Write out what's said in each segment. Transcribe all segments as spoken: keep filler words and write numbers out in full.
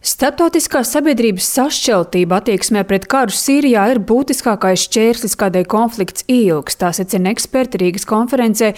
Starptautiskās sabiedrības sašķeltība attieksmē pret karu Sīrijā ir būtiskākais šķērslis, kādēļ konflikts ilgs. Tā secina eksperti Rīgas konferencē.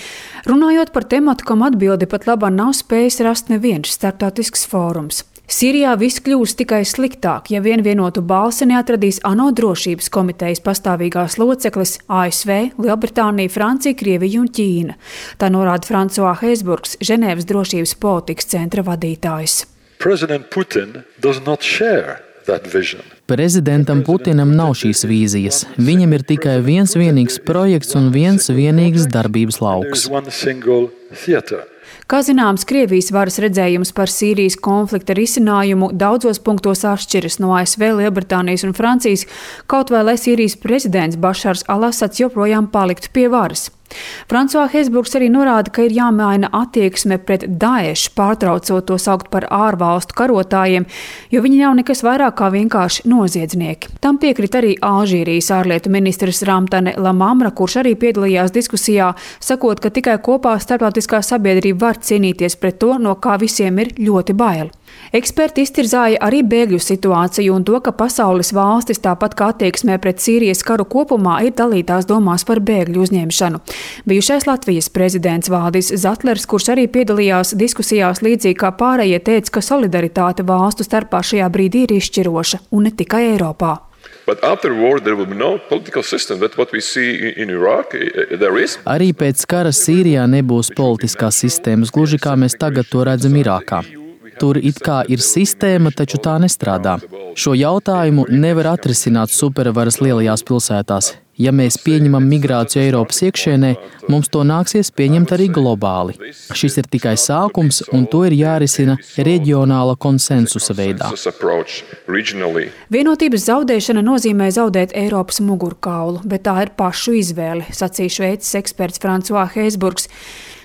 Runājot par tematu, kam atbildi pat labāk nav spējis rast neviens starptautisks fórums. Sīrijā viss kļūs tikai sliktāk, ja vien vienotu balsi neatradīs ANO drošības komitejas pastāvīgās loceklis A S V, Lielbritānija, Francija, Krievija un Ķīna. Tā norāda Francois Heisburgs, Ženēvas drošības politikas centra vadītājs. President Putin does not share that vision. Prezidentam Putinam nav šīs vīzijas. Viņam ir tikai viens vienīgs projekts un viens vienīgs darbības lauks. Kā zināms, Krievijas varas redzējums par Sīrijas konflikta risinājumu daudzos punktos atšķiras no A S V, Lielbritānijas un Francijas, kaut vai lai Sīrijas prezidents Bašars al-Asads joprojām paliktu pie varas. Francois Heisburgs arī norāda, ka ir jāmaina attieksme pret Daešu, pārtraucot to saukt par ārvalstu karotājiem, jo viņi nav nekas vairāk kā vienkārši noziedznieki. Tam piekrita arī Alžīrijas ārlietu ministrs Ramtane Lamamra, kurš arī piedalījās diskusijā, sakot, ka tikai kopā starptautiskā sabiedrība var cīnīties pret to, no kā visiem ir ļoti bail. Eksperti iztirzāja arī bēgļu situāciju un to, ka pasaules valstis, tāpat kā attieksmē pret Sīrijas karu kopumā, ir dalītās domās par bēgļu uzņemšanu. Bijušais Latvijas prezidents Valdis Zatlers, kurš arī piedalījās diskusijās līdzīgi kā pārējie, teica, ka solidaritāte valstu starpā šajā brīdī ir izšķiroša, un ne tikai Eiropā. Arī pēc kara Sīrijā nebūs politiskās sistēmas, gluži kā mēs tagad to redzam Irākā. Tur it kā ir sistēma, taču tā nestrādā. Šo jautājumu nevar atrisināt supervaras lielajās pilsētās. Ja mēs pieņemam migrāciju Eiropas iekšienē, mums to nāksies pieņemt arī globāli. Šis ir tikai sākums, un to ir jārisina reģionāla konsensusa veidā. Vienotības zaudēšana nozīmē zaudēt Eiropas mugurkaulu, bet tā ir pašu izvēle, sacīja Šveices eksperts Francois Heisburgs.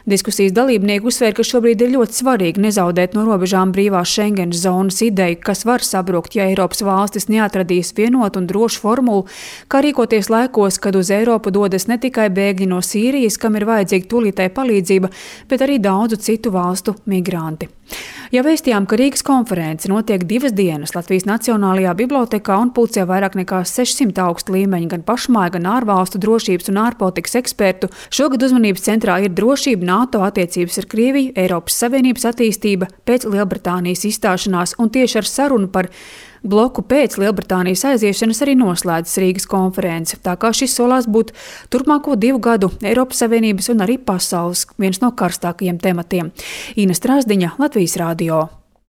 Diskusijas dalībnieki uzsver, ka šobrīd ir ļoti svarīgi nezaudēt no robežām brīvās Schengenas zonas ideju, kas var sabrukt, ja Eiropas valstis neatradīs vienotu un drošu formulu, kā rīkoties laikos, kad uz Eiropu dodas ne tikai bēgļi no Sīrijas, kam ir vajadzīga tūlītēja palīdzība, bet arī daudzu citu valstu migranti. Ja vēstījām, ka Rīgas konference notiek divas dienas Latvijas Nacionālajā bibliotekā un pulcē vairāk nekā sešsimt augstu līmeņu gan pašmāju, gan ārvalstu drošības un ārpolitikas ekspertu, šogad uzmanības centrā ir drošība, NATO attiecības ar Krieviju, Eiropas Savienības attīstība pēc Lielbritānijas izstāšanās un tieši ar sarunu par bloku pēc Lielbritānijas aiziešanas arī noslēdzas Rīgas konference, tā kā šis solās būt turpmāko divu gadu Eiropas Savienības un arī pasaules viens no karstākajiem tematiem. Ina Strāzdiņa, Latvijas radio.